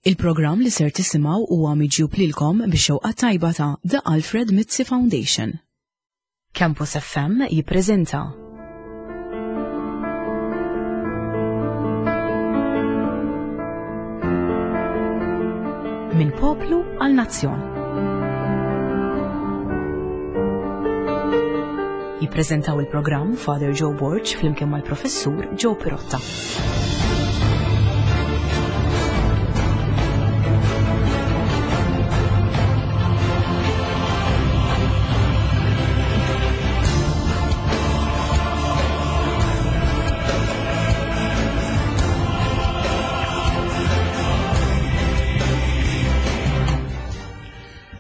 Il-programm li ser tisimgħu huwa miġjub lilkom bix-xewqa tajba ta' The Alfred Mizzi Foundation. Campus FM jippreżenta. Minn poplu għal nazzjon. Jippreżentaw il-programm Father Joe Borg flimkien mal-Professur Joe Pirotta.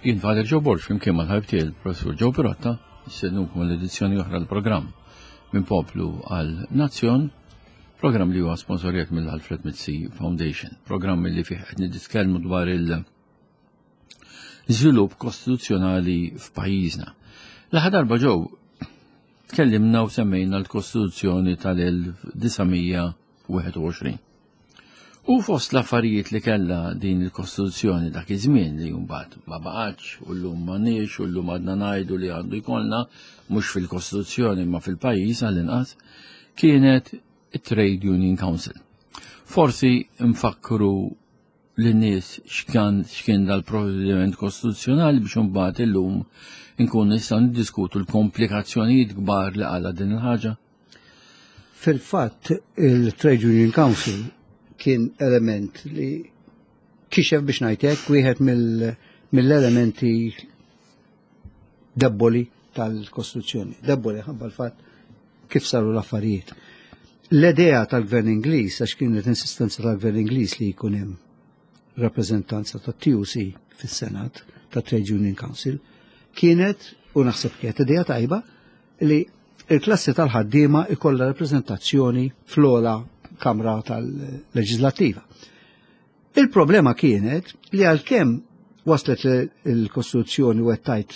Jien Father Joe Borg flimkien mal-ħabib tiegħi il-Professur Joe Pirotta, nistednukom l-edizzjoni oħra l-programm minn poplu għal nazzjon, programm li huwa sponsorjat mill-Alfred Mizzi Foundation, programm li fih qed nitkellmu dwar il- żvilupp kostituzzjonali f'pajjiżna. L-aħħar darba ġew tkellimna u semmejna l-Kostituzzjoni tal-1921. U fost l-affarijiet li kellha din il-Kostituzzjoni dak iż-żmien li mbagħad ma baqgħetx u llum m'għandniex u llum għadna ngħidu li għandu jkollna mhux fil-Kostituzzjoni imma fil-pajjiż għall-inqas kienet it-Trade Union Council. Forsi nfakkru lin-nies x'kan x'kien dal-provvediment kostituzzjonali biex imbagħad illum inkun nistgħu niddiskutu l-komplikazzjonijiet kbar li qala din il-ħaġa. Fil-fatt, il-Trade Union Council kien element li kixef biex ngħid wieħed mill-elementi debboli tal-Kostituzzjoni. Debboli ħabba l-fatt kif saru l-affarijiet. L-idea tal-Gvern Ingliż, għax kienet insistenza tal-Gvern Ingliż li jkun hemm rappreżentanza tat-TUC fis-Senat, tat Trade Union Council, kienet, u naħseb kienet idea tajba, li il-klassi tal-ħaddiema ikollha rappreżentazzjoni fl-ogħla kamra tal-leġislattiva. Il-problema kienet li għalkemm waslet il-Kostituzzjoni u għettajt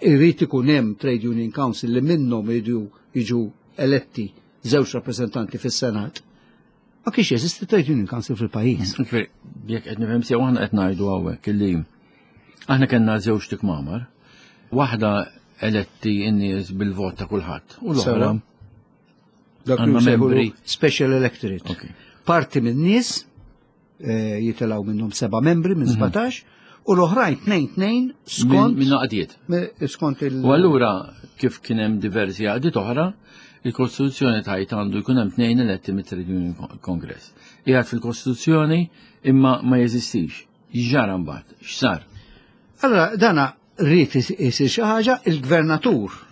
irrid ikun hemm Trade Union Council li minnhom iridu jiġu eletti żewġ rappreżentanti fis-Senat, ma kienx jeżisti Trade Union Council fil-pajjiż. Jekk qed nifhem sew aħna qed ngħidu hawnhekk illi aħna kellna żewġ tikmamar, waħda eletti n-nies bil-vot ta' kulħadd u l-oħra dak li membri special electorate. Parti minn nies eh, jitilgħu minnhom seba' membri minn 17 mhm. u l-oħrajn tnejn tnejn skont minn għaqdiet. Skont il U allura kif kien hemm diversi għaqdiet oħra, il-Kostituzzjoni tajt għandu jkun hemm tnejn eletti mit-Trade Union Congress. Qiegħed fil-Kostituzzjoni imma ma jeżistix. X'ġara mbagħad? X'sar? Allora dana rrid isir xi ħaġa, il-gvernatur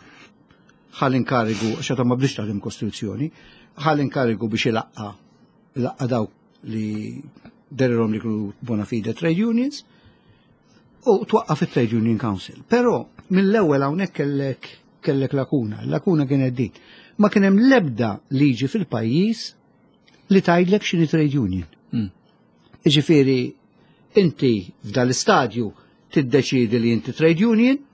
ħal inkarigu, għax ma bdiex taħdem Kostituzzjoni, ħal inkarigu biex ilaqqa ilaqqa dawk li derilhom li kienu bona fide trade unions u twaqqaf it-Trade Union Council. Però mill-ewwel hawnhekk kellek kellek lakuna, lakuna kienet din. Ma kien hemm l-ebda liġi fil-pajjiż li tgħidlek x'inhi trade union. Hmm. Jiġifieri inti f'dal-istadju tiddeċidi li inti trade union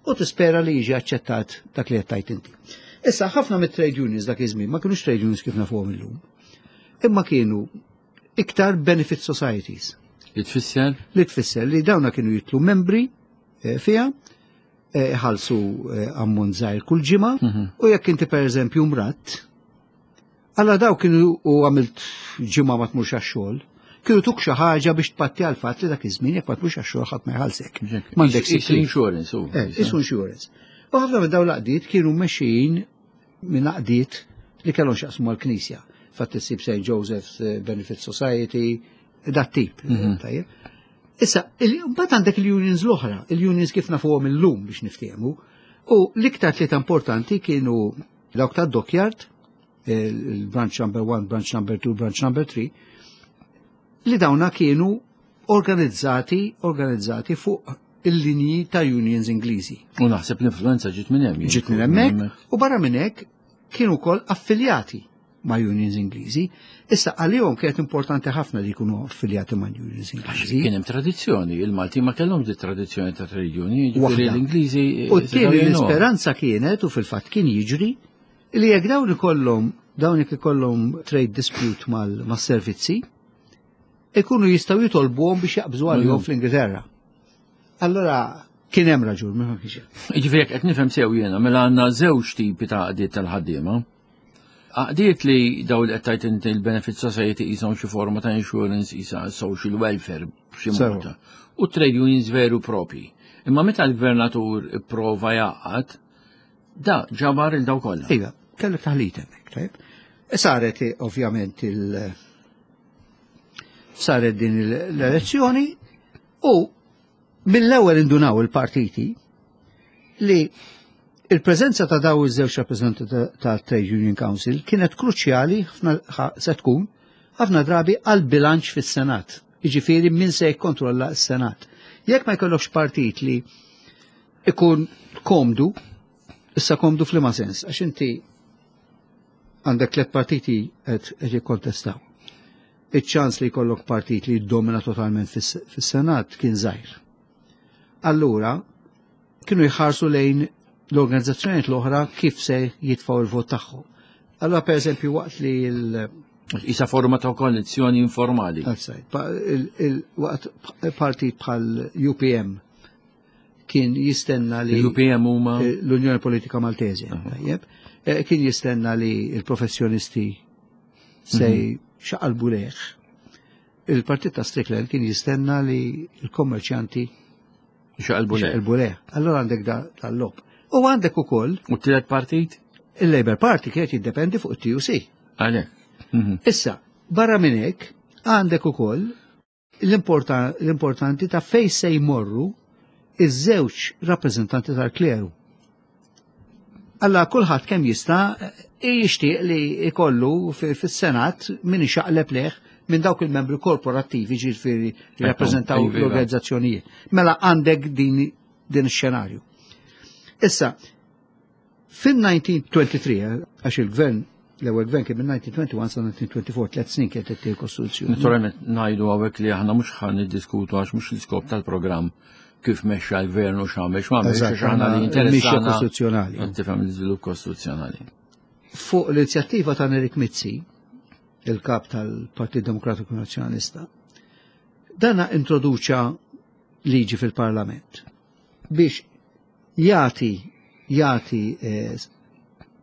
u tispera li jiġi aċċettat dak li qed tgħid inti. Issa ħafna mit-trade unions dak iż-żmien ma kinux trade unions kif nafuhom illum. Imma kienu iktar benefit societies. Li tfisser? Li tfisser li dawna kienu jitlu membri eh, fiha, eh, iħallsu eh, ammont żgħir kull ġimgħa mhm. u jekk inti pereżempju mratt, Alla daw kienu u għamilt ġimgħa ma tmurx għax-xogħol, kienu tuk xi ħaġa biex tpatti għal fatt li dak iż-żmien jekk ma tmurx għax-xogħol ħadd ma jħallsek. M'għandek sick insurance. Eh, isu insurance. U ħafna minn dawn l-għaqdiet kienu mexxijin minn għaqdiet li kellhom x'jaqsmu mal-Knisja. Fatt issib St. Joseph's eh, Benefit Society, dat tip. Mhm. Tajjeb. Issa, mbagħad għandek il-unions l-oħra, il-unions kif nafuhom illum biex niftehmu, u l-iktar tlieta importanti kienu dawk ta' dockyard, il-branch number 1, branch number 2, branch number 3, li dawna kienu organizzati, organizzati fuq il-linji ta' unions Ingliżi. U naħseb l-influenza ġiet minn hemm. Ġiet minn hemmhekk u barra minn hekk kienu wkoll affiljati ma' unions Ingliżi. Issa għalihom kienet importanti ħafna li jkunu affiljati ma' unions Ingliżi. Kien hemm tradizzjoni, il-Malti ma kellhomx di tradizzjoni ta' trade union, jiġifieri l-Ingliżi. U t-tieni l-isperanza kienet u fil-fatt kien jiġri li jekk dawn ikollhom dawn jekk ikollhom trade dispute mas-servizzi, ikunu jistgħu jitolbuhom biex jaqbżu għalihom fl-Ingilterra. Allora kien hemm raġun, ma kienx hemm. Jiġifieri jekk qed nifhem sew jiena mela għandna żewġ tipi ta' għaqdiet tal-ħaddiema. Għaqdiet li daw li qed tgħid inti l-benefit society qishom xi forma ta' insurance qisha social welfare b'xi mod. U trade unions veru propi. Imma meta l-gvernatur ipprova jgħaqqad, da ġabar il daw kollha. Iva, kellek taħlit hemmhekk, tajb. Saret ovvjament il saret din l-elezzjoni u mill-ewwel indunaw il-partiti li il-preżenza ta' daw iż-żewġ rappreżentanti ta' Trade Union Council kienet kruċjali se tkun ħafna drabi għal bilanċ fis-Senat. Jiġifieri min se jikkontrolla s-Senat. Jekk ma jkollokx partit li ikun komdu, issa komdu f'liema sens, għax inti għandek tliet partiti qed jikkontestaw. Iċ-ċans li jkollok partit li jiddomina totalment fis-Senat kien żgħir. Allura, kienu jħarsu lejn l-organizzazzjonijiet l-oħra kif se jitfgħu il-vot tagħhom. Allura per eżempju waqt li l Isa forma ta' koalizzjoni informali. Waqt partit bħal UPM kien jistenna li l-UPM huma l-Unjoni Politika Maltese, tajjeb, kien jistenna li l-professjonisti se xaqalbu leħ. Il-partit ta' Strickland kien jistenna li l-kommerċjanti xaqalbu leħ. Xaqalbu leħ. Allora għandek dal-lob. U għandek ukoll. U t-tielet partit? Il-Labour Party kienet jiddependi fuq it-TUC. Għalek. Issa, barra minn hekk, għandek ukoll l-importanti ta' fej se jmorru iż-żewġ rappreżentanti tal-kleru. Alla kulħadd kemm jista' jixtieq li jkollu fis-Senat min ixaqleb leħ minn dawk il-membri korporattivi ġifieri li rappreżentaw l-organizzazzjonijiet. Mela għandek din din ix-xenarju. Issa, fin-1923, għax il-gvern l-ewwel gvern kien minn 1921 sa 1924, tliet snin kienet qed kostituzzjoni. Naturalment ngħidu hawnhekk li aħna mhux ħa niddiskutu għax mhux l-iskop tal-programm kif mexxa l-gvern u x'għamel x'għamel għax aħna li interessana kostituzzjonali. Tifhem l-iżvilupp kostituzzjonali. Fuq l-inizjattiva ta' Nerik Mizzi, il-kap tal-Partit Demokratiku Nazzjonalista, dana introduċa liġi fil-Parlament biex jagħti jagħti eh,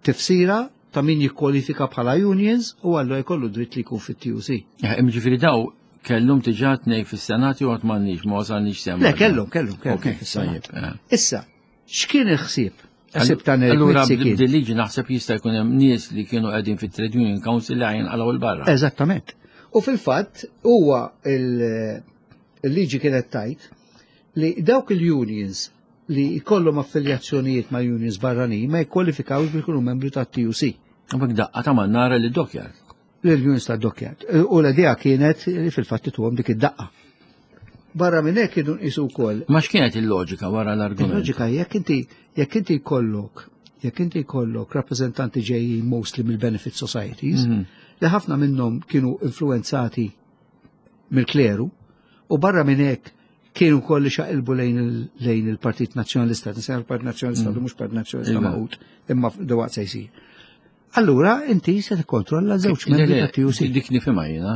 tifsira ta' min jikkwalifika bħala unions u għallu jkollu dritt li jkun fit-TUC. Eh, Ġifieri daw kellhom diġà tnej fis-Senat jew għad m'għandniex ma wasalniex semm. Le, kellhom, kellhom, kellhom fis-Senat. Eh. Issa, x'kien il-ħsieb? Ħsieb ta' Allura b'dil-liġi naħseb jista' jkun hemm nies li kienu qegħdin fit-Trade Union Council li għajn għalaw il-barra. Eżattament. U fil-fatt huwa il-liġi kienet tajt li dawk il-unions li jkollhom affiljazzjonijiet ma' unions barranin ma jikkwalifikawx biex ikunu membri ta' TUC. U daqqa ta' mannara li dockyard. L-unions ta' dockyard. U l-idea kienet li fil-fatt tuhom dik id-daqqa. Barra minn hekk kienu nqisu wkoll. Ma x'kienet il-loġika wara l-argument? Il-loġika jekk inti jekk inti jkollok jekk inti jkollok rappreżentanti ġejjin mostly mill-benefit societies, li ħafna minnhom kienu influenzati mill-kleru, u barra minn hekk kienu koll li xaqilbu lejn il-Partit Nazzjonalista, nisajn il-Partit Nazzjonalista, mm. mhux Partit Nazzjonalista iva. maqut, imma dewaqt se jsir. Allura inti se tikkontrolla żewġ membri ta' TUC. Dik nifhimha jiena.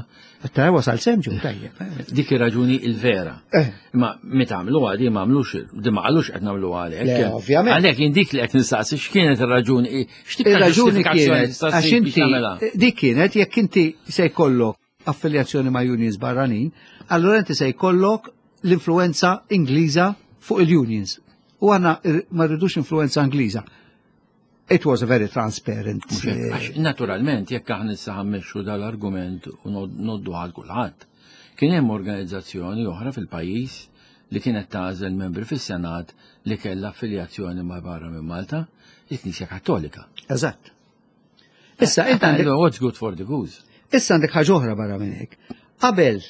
Ta' wasal semġu tajjeb. Eh. Dik ir-raġuni il-vera. Eh. Imma meta għamlu di ma għamlux, di ma qalux qed nagħmlu għalhekk. Ovvjament. Għalhekk jien dik li qed nistaqsi x'kienet ir-raġuni, x'tip raġuni kienet għax inti dik kienet jekk inti se jkollok affiljazzjoni ma' unions barranin, allura inti se jkollok l-influenza Ingliża fuq il-unions. U għanna ma rridux influenza Ingliża. It was a very transparent. Eh, naturalment, jekk aħna issa ħammexxu dal-argument u noddu għal kulħadd, kien hemm organizzazzjoni oħra fil-pajjiż li kienet tagħżel membri fis-Senat li kellha affiljazzjoni ma' barra minn Malta, il-Knisja Kattolika. Eżatt. Issa inti għandek what's good for the goose. Issa għandek ħaġa oħra barra minn hekk. Qabel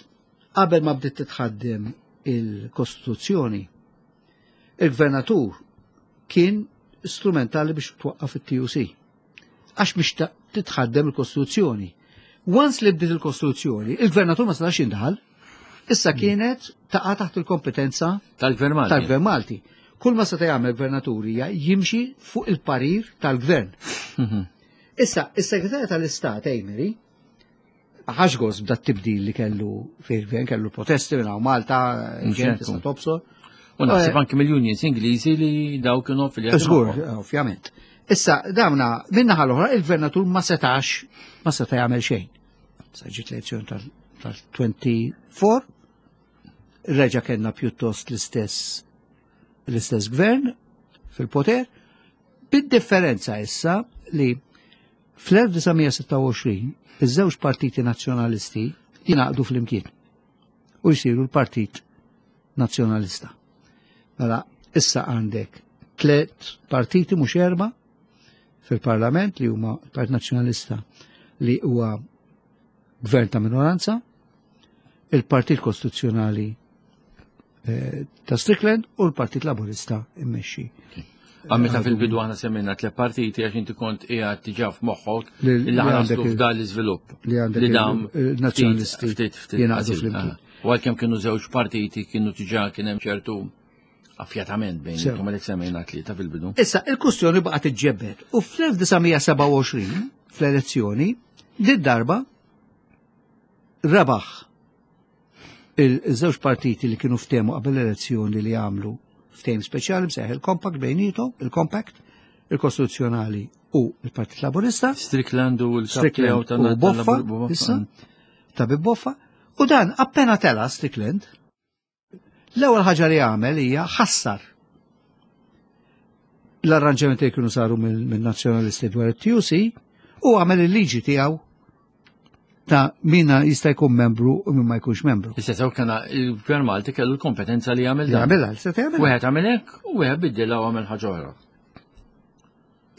qabel ma bdiet titħaddem il-Kostituzzjoni, il-gvernatur kien strumentali biex twaqqaf it-TUC. Għax biex titħaddem il-Kostituzzjoni. Once li bdiet il-Kostituzzjoni, il-gvernatur ma setax jindaħal. Issa kienet taqa' taħt il-kompetenza tal-Gvern Malti. Tal-Gvern Malti. Kull ma seta' jagħmel gvernatur hija jimxi fuq il-parir tal-gvern. Mhm. Issa, is-Segretarju tal-Istat Amery Ħax gost b'da tibdil li kellu fil-gvern, kellu protesti minn hawn Malta, ġent tista' tobsor. U naħseb anki mill-unions Ingliżi li daw kienu fil Żgur, ovvjament. Issa, dawna, minna l-oħra, il-gvernatur ma setax, ma seta jagħmel xejn. Sa ġiet l-elezzjoni tal-24, reġa' kellna pjuttost l-istess l-istess gvern fil-poter, bid-differenza issa li fl-1926 iż-żewġ partiti nazzjonalisti jingħaqdu flimkien u jsiru l-Partit Nazzjonalista. Mela, issa għandek tlet partiti mhux erba' fil-Parlament li huma l-Partit Nazzjonalista li huwa gvern ta' minoranza, il-Partit Kostituzzjonali eh, ta' Strickland u l-Partit Laburista immexxi. Għamita fil-bidu għana semmejna tle partiti għax inti kont qiegħed diġà f'moħħok li għandek f'dan l-iżvilupp. Li għandek li dam nazzjonalisti ftit ftit ftit. U għalkemm kienu żewġ partiti kienu diġà kien hemm ċertu affjatament bejn intom għalhekk semmejna tlieta fil-bidu. Issa il-kustjoni baqgħet iġġebbed u fl-1927 fl-elezzjoni din darba rebaħ il-żewġ partiti li kienu ftehmu qabel l-elezzjoni li għamlu ftehim speċjali msejjaħ il-Compact bejnietom, il-Compact, il-Kostituzzjonali u il-Partit Laburista. Strickland u l-Strickland u Boffa, issa, ta' Boffa. U dan appena tela Strickland, l-ewwel ħaġa li għamel hija ħassar l-arranġamenti li kienu saru mill-nazzjonalisti dwar it-TUC u għamel il-liġi tiegħu ta' minna jista' jkun membru u min ma jkunx membru. Issa sew kena il-Gvern Malti kellu l-kompetenza li jagħmel dan. Jagħmilha, se jagħmel. Wieħed għamel hekk u wieħed biddilha u għamel ħaġa oħra.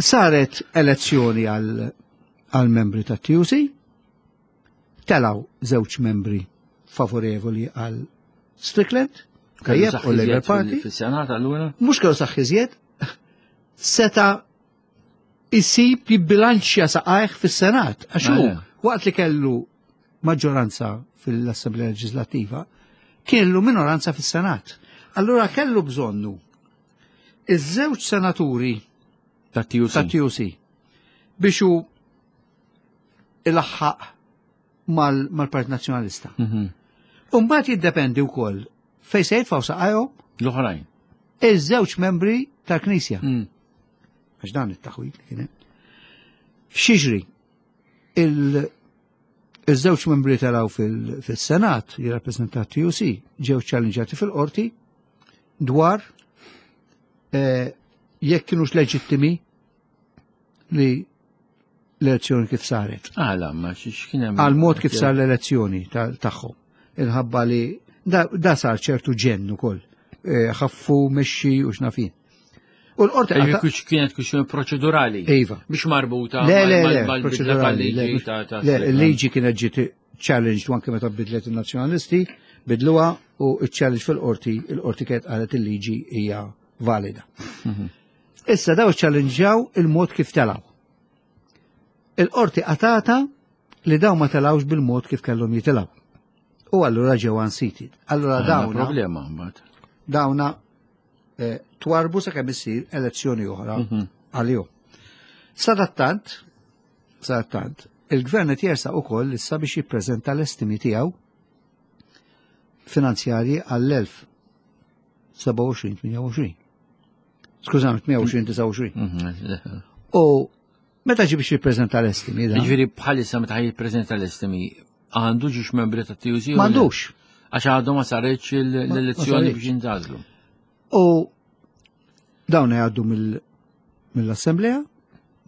Saret elezzjoni għal membri ta' TUC, telaw żewġ membri favorevoli għal Strickland, tajjeb u Labour Party. Fis-Senat allura? Mhux kellu saħħiżjed, seta' isib jibbilanċja saqajh fis-Senat. Għax hu ah, waqt li kellu maġġoranza fil-Assemblea Leġislattiva, kellu minoranza fis-Senat. Allura kellu bżonnu iż-żewġ senaturi ta' TUC biex hu ilaħħaq mal-Partit Nazzjonalista. Mhm. Umbagħad jiddependi wkoll fejn se jitfgħu saqajhom l-oħrajn. Iż-żewġ membri tal-Knisja. Mm. Għax dan it-taħwid li kien hemm. X'jiġri? Il-żewġ membri taraw fil-Senat li rappreżentat TUC ġew ċallenġati fil-qorti dwar eh, jekk kienux leġittimi li l-elezzjoni kif saret. Għala, ma x'kien hemm. Għal mod kif sar l-elezzjoni tagħhom. Inħabba li da sar ċertu ġenn ukoll. Eh, ħaffu mexxi u x'nafin. U l-qorti kienet kwistjoni proċedurali. Iva. Mhux marbuta le, le, le, proċedurali. Le, il-liġi kienet ġiet challenged anke meta bidlet il-nazzjonalisti, bidluha u il-challenge fil-qorti, il-qorti kienet qalet il-liġi hija valida. Mhm. Issa daw challengjaw il-mod kif telaw. Il-qorti qatata li daw ma telawx bil-mod kif kellhom jitilaw. U allura ġew unseated. Allura dawna. Problema mbagħad. Dawna eh, twarbu sakemm issir elezzjoni oħra mhm. għalihom. Sadattant, sadattant, il-gvern qed jersaq ukoll issa biex jippreżenta l-estimi tiegħu finanzjarji għall-1027-28. Skużami, 28-29. Mhm. U meta ġi biex jippreżenta l-estimi? Ġifieri bħalissa meta jippreżenta l-estimi għandu ġiex membri ta' TUC? M'għandux. Għax għadu ma saritx l-elezzjoni biex jintgħażlu. U dawn jgħaddu mill-Assemblea,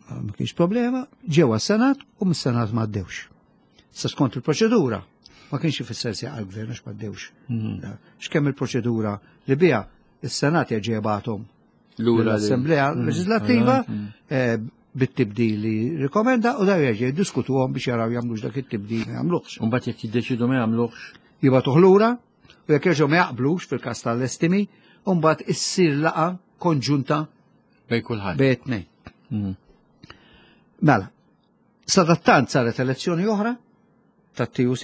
ma kienx problema, ġew għas-Senat u mis-Senat ma għaddewx. Sa skont il-proċedura, ma kienx ifisser se għal-gvern għax ma għaddewx. Mhm. X'kemm il-proċedura li biha is-Senat jerġa' jibgħathom l-Assemblea mm. Leġislattiva mm. eh, bit-tibdil li rikomenda u daw jerġa' jiddiskutuhom biex jaraw jagħmlux dak it-tibdil ma jagħmluhx. Imbagħad jekk jiddeċidu ma jagħmluhx. Jibgħatuh lura u jekk jerġgħu ma jaqblux fil-każ tal-estimi, u mbagħad issir laqa konġunta bejn kulħadd. Bejn tnejn. Mm. Mela, sadattant saret elezzjoni oħra tat-TUC,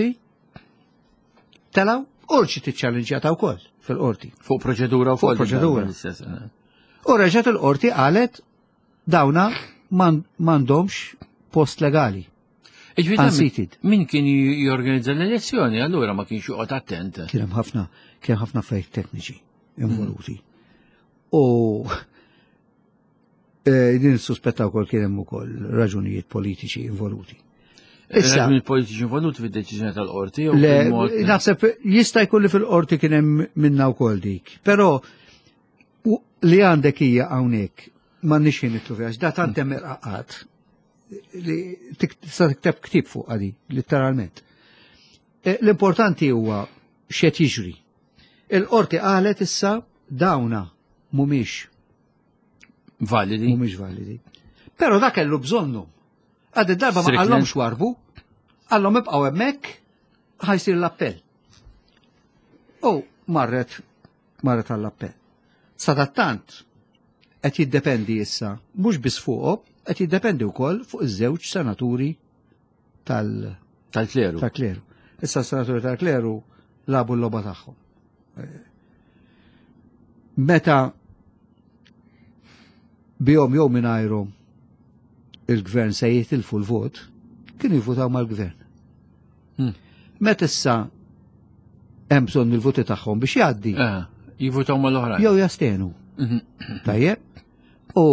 telaw u ġiet iċċallenġjata wkoll fil-qorti. Fuq proċedura wkoll. Fuq proċedura. Eh. U reġgħet il-qorti qalet dawna m'għandhomx post legali. Unseated. Min kien jorganizza l-elezzjoni, allura ma kienx joqgħod attent. Kien hemm ħafna, kien ħafna affarijiet tekniċi involuti. U eh, din suspetta wkoll kien hemm ukoll raġunijiet politiċi involuti. Issa, raġunijiet politiċi involuti fid-deċiżjoni tal-qorti jew naħseb jista' jkun li fil-qorti kien hemm minna wkoll dik. Però li għandek hija hawnhekk m'għandniex ħin nitlu fiha, da tant hemm irqaqat li tista' tikteb ktieb fuq għadi, letteralment. Eh, l-importanti huwa x'qed jiġri. Il-qorti qalet issa dawna mhumiex validi. Mhumiex validi. Però dak kellu bżonnu. Għad darba ma qallhomx warbu, qallhom ibqgħu hemmhekk ħajsir l-appell. U marret marret għall-appell. Sadattant qed jiddependi issa mhux biss fuqhom, qed jiddependi wkoll fuq iż-żewġ senaturi tal- Tal-kleru. Tal-kleru. Issa s-senaturi tal-kleru labu l-logħba tagħhom. Meta bihom jew mingħajrhom il-gvern se jitilfu l-vot, kienu jivvotaw mal-gvern. Hmm. Meta issa hemm bżonn il-voti tagħhom biex jgħaddi. Eh, jivvotaw mal-oħrajn. Jew jastenu. Mhm. Tajjeb. U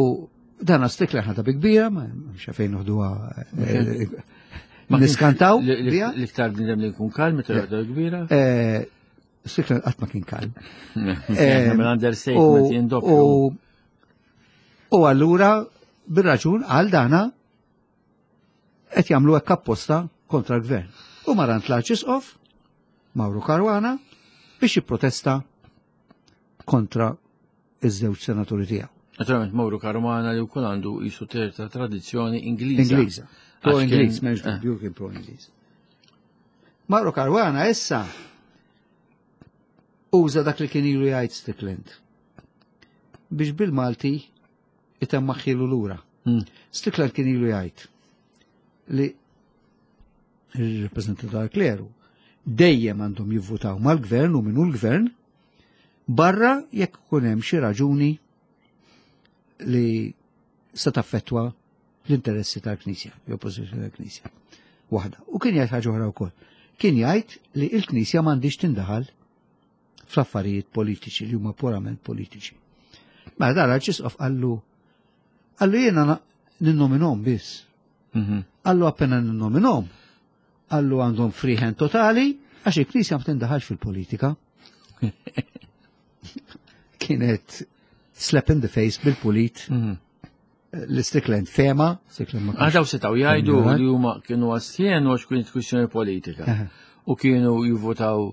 dan Strickland ħadha bi kbira, ma xafejn noħduha eh, niskantaw. L-iktar bnidem li jkun kalm, meta joħdu kbira. Eh, Strickland qatt ma kien kalm. Mill-understatement jindoppju. U allura bir-raġun għal dana qed jagħmlu hekk apposta kontra l-gvern. U marant l-Arċisqof Mauro Caruana biex jipprotesta kontra iż-żewġ senaturi tiegħu. Naturalment Mauro Caruana li wkoll għandu jisu ta' tradizzjoni Ingliża. Ingliża. Pro Ingliż, m'hemmx eh. dubju kien pro Ingliż. Mauro Caruana issa uża dak li kien ilu jgħid Strickland biex bil-Malti itemmaħħilu lura. Hmm. Strickland kien ilu jgħid li il-rappresentanti tal-kleru dejjem għandhom jivvutaw mal-gvern u minnu l-gvern barra jekk ikun hemm xi raġuni li se taffettwa l-interessi tal-Knisja, jew pożizzjoni tal-Knisja. Waħda. U kien jgħid ħaġa oħra wkoll. Kien jgħid li l-Knisja m'għandix tindaħal fl-affarijiet politiċi li huma purament politiċi. Mela dan l-Arċisqof qallu qallu jiena ninnominom biss. Mhm. Qallu appena ninnominom, qallu għandhom free hand totali għax il-Knisja ma tindaħalx fil-politika. Kienet slap in the face bil-pulit. Mhm. L-Strickland fema, Strickland ma Għadaw setaw jgħidu li huma kienu għastjen għax kienet kwistjoni politika. U kienu jivvotaw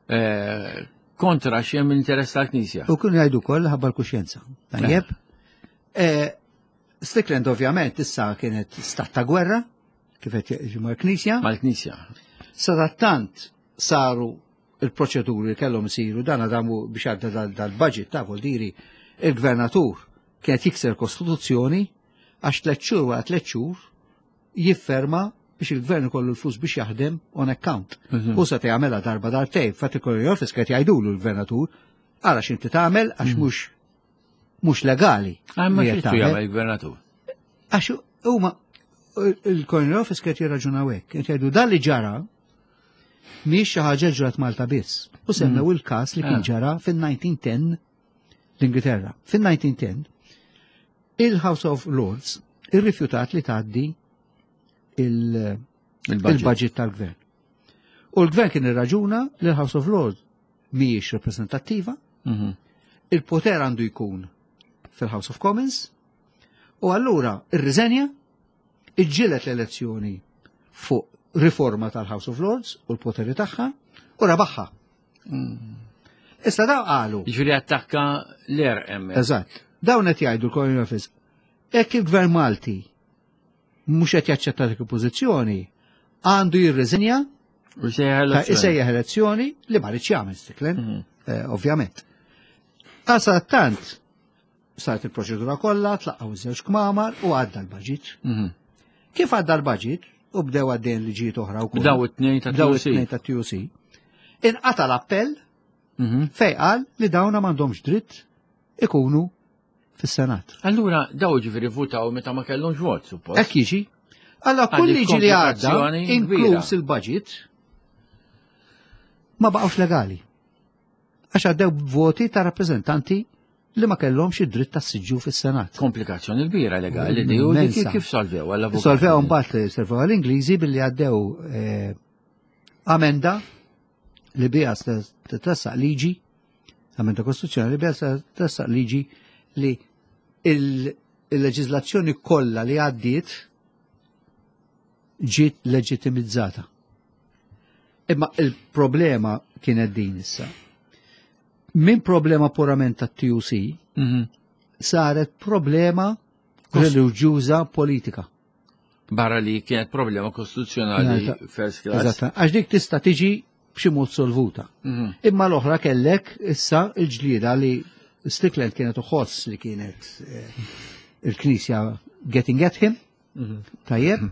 eh, kontra xiem l-interess tal-Knisja. U kienu jgħidu koll ħabba l-kuxjenza. Tajjeb. Eh, Strickland ovvjament issa kienet stat ta' gwerra, kif qed jiġi mal-Knisja. Mal-Knisja. Sadattant saru il-proċeduri li kellhom isiru dan għadamu biex għadda dal-budget ta' diri il-gvernatur kienet jikser kostituzzjoni għax tliet xhur wara tliet xhur jifferma biex il-gvern ikollu l-flus biex jaħdem on account. Mhm. U sa jagħmilha darba darbtejn, fatti kollu office qed jgħidulu l-gvernatur, ara x'inti tagħmel għax mhm. mhux mhux legali. Ah, ma xi jagħmel il-gvernatur? Għax huma il-Corner Office qed jirraġunaw hekk, qed jgħidu dan li ġara mhix xi ħaġa ġrat Malta biss. U semmew mm. il-każ li kien ah. ġara fin-1910 l-Ingilterra. Fin-1910 il-House of Lords irrifjutat li tgħaddi il-budget tal-gvern. U l-gvern kien irraġuna li l-House of Lords mhijiex rappreżentattiva, mhm. il-poter għandu jkun fil-House of Commons, u allura irriżenja, iġġieled l-elezzjoni fuq riforma tal-House of Lords u l-poteri tagħha u rabaħħa. Mm. Issa daw qalu. Ġifieri attakka l-er hemm. Eżatt. Dawn qed jgħidu l-Colonial Office. Hekk il-Gvern Malti mhux qed jaċċetta dik il-pożizzjoni, għandu jirriżenja u jsejjaħ elezzjoni li ma rridx jagħmel Strickland, mhm. eh, ovvjament. Għasa tant saret il-proċedura kollha, tlaqqgħu iż-żewġ kmamar u għadda l-baġit. Mhm. Kif għadda l-baġit u bdew għaddejn liġijiet oħra wkoll. Bdew it-tnejn ta' Bdew it-tnejn ta' TUC. Inqata l-appell mhm. fej qal li dawna m'għandhomx dritt ikunu fis-Senat. Allura daw ġifieri votaw meta ma kellhomx vot, suppost. Hekk jiġi. Alla kull Għandek liġi li għadda, komplikazzjoni inkluż kbira. il-budget, ma baqgħux legali. Għax għaddew voti ta' rappreżentanti li ma kellhomx id-dritt tas-siġġu fis-Senat. Komplikazzjoni kbira legali di u dik Immensa. kif solvew għall-avukat. Solvew mbagħad servew għall-Ingliżi billi għaddew eh, amenda li biha se titressaq liġi, amenda kostituzzjonali li biha se titressaq liġi li il- il-leġiżlazzjoni kollha li għaddiet ġiet leġitimizzata. Imma il-problema kienet din issa. Min problema purament tat-TUC saret problema reliġjuża politika. Barra li kienet problema kostituzzjonali Eżatt. first class. Eżatt, għax dik tista' tiġi b'xi mod solvuta. Imma l-oħra kellek issa il-ġlieda li Strickland kienet uħoss li kienet eh, il-Knisja getting at him, tajjeb.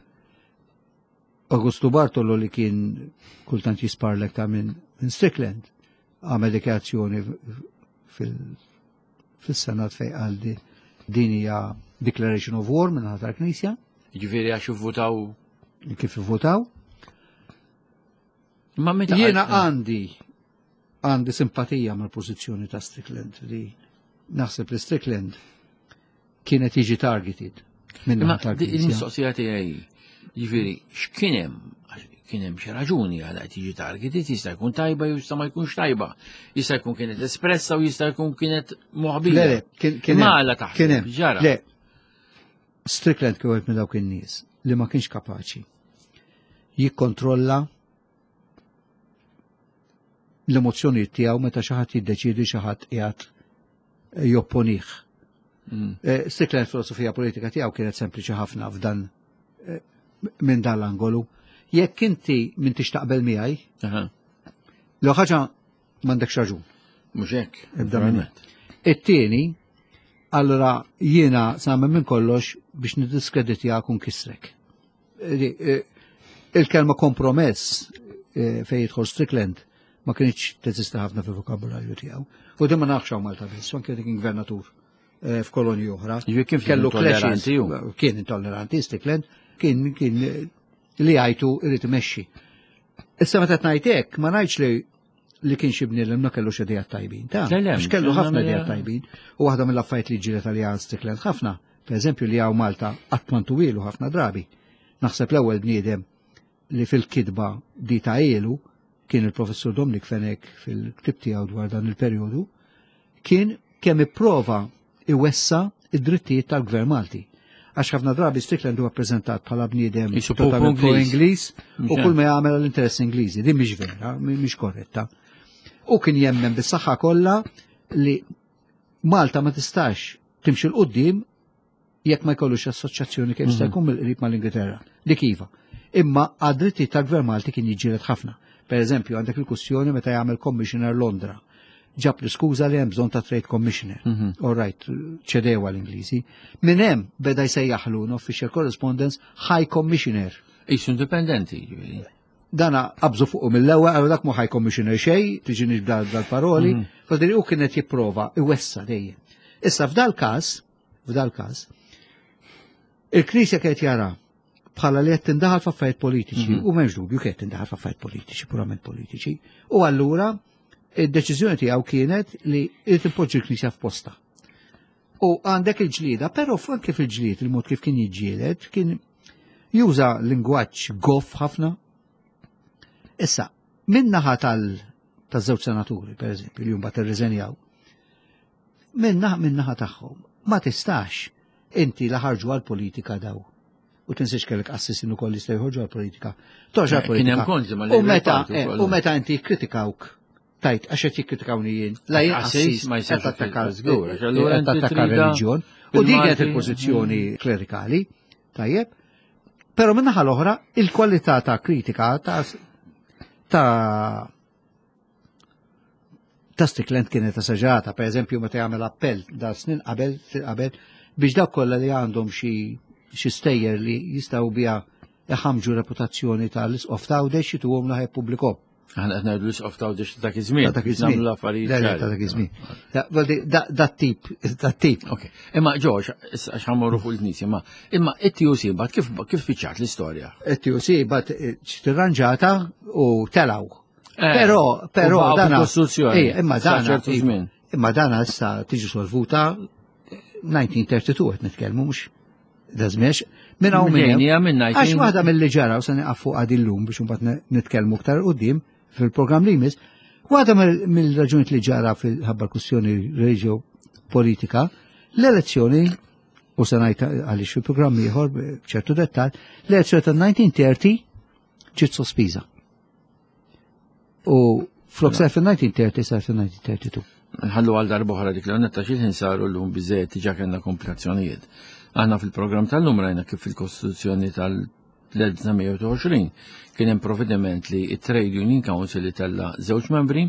Augusto Bartolo li kien kultant jisparlek ta' minn min Strickland għamel dikjarazzjoni fil- fil-Senat fej qal di- din hija Declaration of War minn ħatar Knisja Ġifieri għax ivvutaw. kif votaw. Ma meta Jiena għandi għandi simpatija mal-pożizzjoni ta' Strickland li naħseb li Strickland kienet jiġi targeted minn Imma naħa di- tal-Knisja. il-mistoqsija tiegħi, jiġifieri x'kien hemm Għax kien hemm xi raġuni għal qed jiġi targeted, jista' jkun tajba jew jista' ma jkunx tajba. Jista' jkun kienet espressa u jista' jkun kienet moħbija. Le, le, kien kien Ma hemm, għala taħseb, kien hemm. ġara. Le, Strickland kien wieħed minn dawk in-nies li ma kienx kapaċi jikkontrolla l-emozzjonijiet tiegħu meta xi ħadd jiddeċiedi xi ħadd qiegħed jopponih. Eh, Strickland filosofija politika tiegħu kienet sempliċi ħafna f'dan eh, minn dan l-angolu. Jekk inti m'intix taqbel miegħi, Aha, l ħaġa m'għandekx raġun. Mhux hekk. Ibda minn naturalment. It-tieni, allora jiena sa minn kollox biex niddiskreditjak u nkissrek. Eh, Il-kelma kompromess eh, fejn jidħol Strickland ma kienx teżista ħafna fil-vokabularju tiegħu. U din ma nafx hawn Malta biss, anke kien gvernatur eh, f'kolonji oħra. Jiġifieri kien Kellu intolleranti clashes, hu. Kien intolleranti Strickland, kien kien eh, li għajtu irid imexxi. Issa meta ngħid hekk, ma ngħidx li li kien xi bniedem ma kellux idejat tajbin. Ta' Le, le, għax kellu mhux ħafna nagħmel- idejat tajbin. U waħda mill-affarijiet li ġiret għalija Strickland ħafna, per eżempju li hawn Malta qatt ma ntuwielu ħafna drabi. Naħseb l-ewwel bniedem li fil-kidba di ta' ilu kien il-professur Dominic Fenech fil-ktib tiegħu dwar dan il-perjodu, kien kemm ipprova iwessa id-drittijiet tal-Gvern Malti. Għax ħafna drabi Strickland huwa ppreżentat bħala bniedem Jisu popu totalment Ingliż. pro-Ingliż u Mhux kull ma jagħmel għall-interess Ingliżi. Din mhix vera, mhix korretta. U kien jemmen bis-saħħa kollha li Malta ma tistax timxi l-qudiem jekk ma jkollux assoċjazzjoni kemm jista' jkun mill-qrib mal-Ingilterra. Dik iva. Imma għad-dritti tal-Gvern Malti kien jiġġieled ħafna. Per eżempju, għandek il-kwestjoni meta jagħmel Commissioner Londra. Ġab l-iskuża li hemm bżonn ta' Trade Commissioner. All right, ċedewa l-Ingliżi. Minn hemm beda jsejjaħlu official correspondence High Commissioner. Isu indipendenti, ġifieri. Dana qabżu fuqu mill-ewwel għalu dak mu High Commissioner xej, tiġi dal-paroli, mm u kienet jipprova iwessa dejjem. Issa f'dal każ, f'dal każ, il-Knisja kienet jara bħala li qed tindaħal f'affarijiet politiċi u m'hemmx dubju kienet tindaħal f'affarijiet politiċi, purament politiċi. U allura id-deċiżjoni tiegħu kienet li irid impoġġi l-Knisja f'posta. U għandek il-ġlieda, però anke fil-ġlied il-mod kif kien jiġġieled kien juża lingwaġġ goff ħafna. Issa, min naħa tal-żewġ senaturi, per eżempju, li mbagħad irriżenjaw, min naħa tagħhom ma tistax inti la ħarġu għal-politika daw. U tinsiex kellek qassisin ukoll li jistgħu jħorġu għal-politika. Toġ Eh, Kien hemm għal-politika. konti mal U meta Party eh, ukoll. u meta inti kritikawk tajt għax qed jikkritikawni jien, la jien Qassis qassis ma jistax qed tattakka żgur, għax allura qed inti tattakka trida reliġjon. U din kienet bil-Malti. il-pożizzjoni klerikali, tajjeb. Però min-naħa l-oħra, il-kwalità ta' kritika ta' ta' ta' Strickland kienet esaġerata, per eżempju, meta jagħmel appell da snin qabel qabel biex dawk kollha li għandhom xi xi stejjer li jistgħu biha iħamġu reputazzjoni tal-isqof ta' Għawdex jituhom laħ jippubblikhom. Aħna qed ngħidu l-isqof ta' Għawdex ta' dak iż-żmien. Ta' dak iż-żmien. Nagħmlu l-affarijiet. Ta' dak iż-żmien. Da tip, da tip. Ok. Imma ġoġ, għax ħammorru fuq il-Knisja, ma imma it-TUC bat kif kif spiċċat l-istorja? It-TUC bat eh, tirranġata u telaw. Eh, però, però dana. Kostruzzjoni. Imma dana. Imma dana issa tiġi solvuta 1932 qed nitkellmu mhux da żmiex minn hawn minn Għax waħda mill-li ġara u se nieqaf fuq għad illum biex imbagħad nitkellmu aktar qudiem fil-programm li jmiss, waħda mill-raġunijiet li ġara fil-ħabba kwistjoni reġio politika, l-elezzjoni u se ngħid għaliex fil-programm ieħor b'ċertu dettal, l-elezzjoni ta' 1930 ġiet sospiża. U flok sar fil-1930 sar fil-1932. Nħallu għal darbohra dik l-għonnetta xil saru l-lum bizzejt diġa kellna komplikazzjonijiet. Aħna fil-programm tal-lum rajna kif fil-Kostituzzjoni tal-1920 kien hemm provvediment li it-Trade Union Council li tella żewġ membri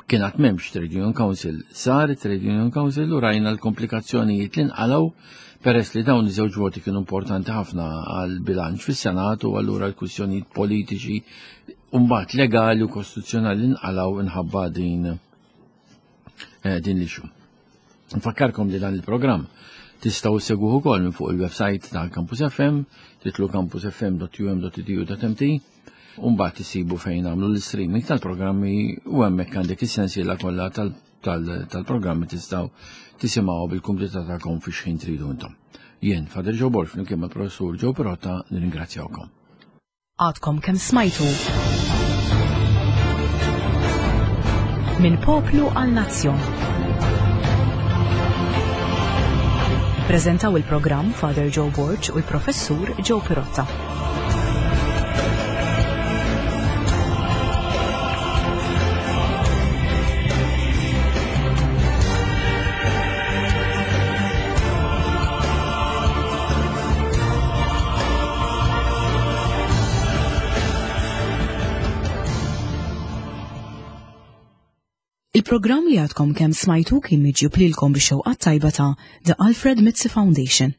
kien għad m'hemmx Trade Union Council, sar Trade Union Council u rajna l-komplikazzjonijiet li nqalgħu peress li dawn iż-żewġ voti kienu importanti ħafna għal bilanċ fis-Senat u allura l-kwistjonijiet politiċi u mbagħad legali u kostituzzjonali nqalgħu inħabba din eh, din l-issue. Nfakkarkom li dan il-programm tistgħu segwuh ukoll minn fuq il-website ta' Campus FM, titlu campusfm.um.edu.mt, u mbagħad isibu fejn għamlu l-streaming tal-programmi u hemmhekk għandek is-sensiela kollha tal-programmi tistgħu tisimgħu bil-kumdità tagħkom fi xħin tridu intom. Jien, Fader Joe Borg, flimkien mal-Professur Joe Pirotta, nirringrazzjawkom. Għadkom kemm smajtu. Minn poplu għal nazzjon. Prezentaw il-programm Father Joe Borg u l-Professur Joe Pirotta. Il-programm li għadkom kemm smajtu kien miġjub lilkom bix-xewqat tajba ta' The Alfred Mizzi Foundation.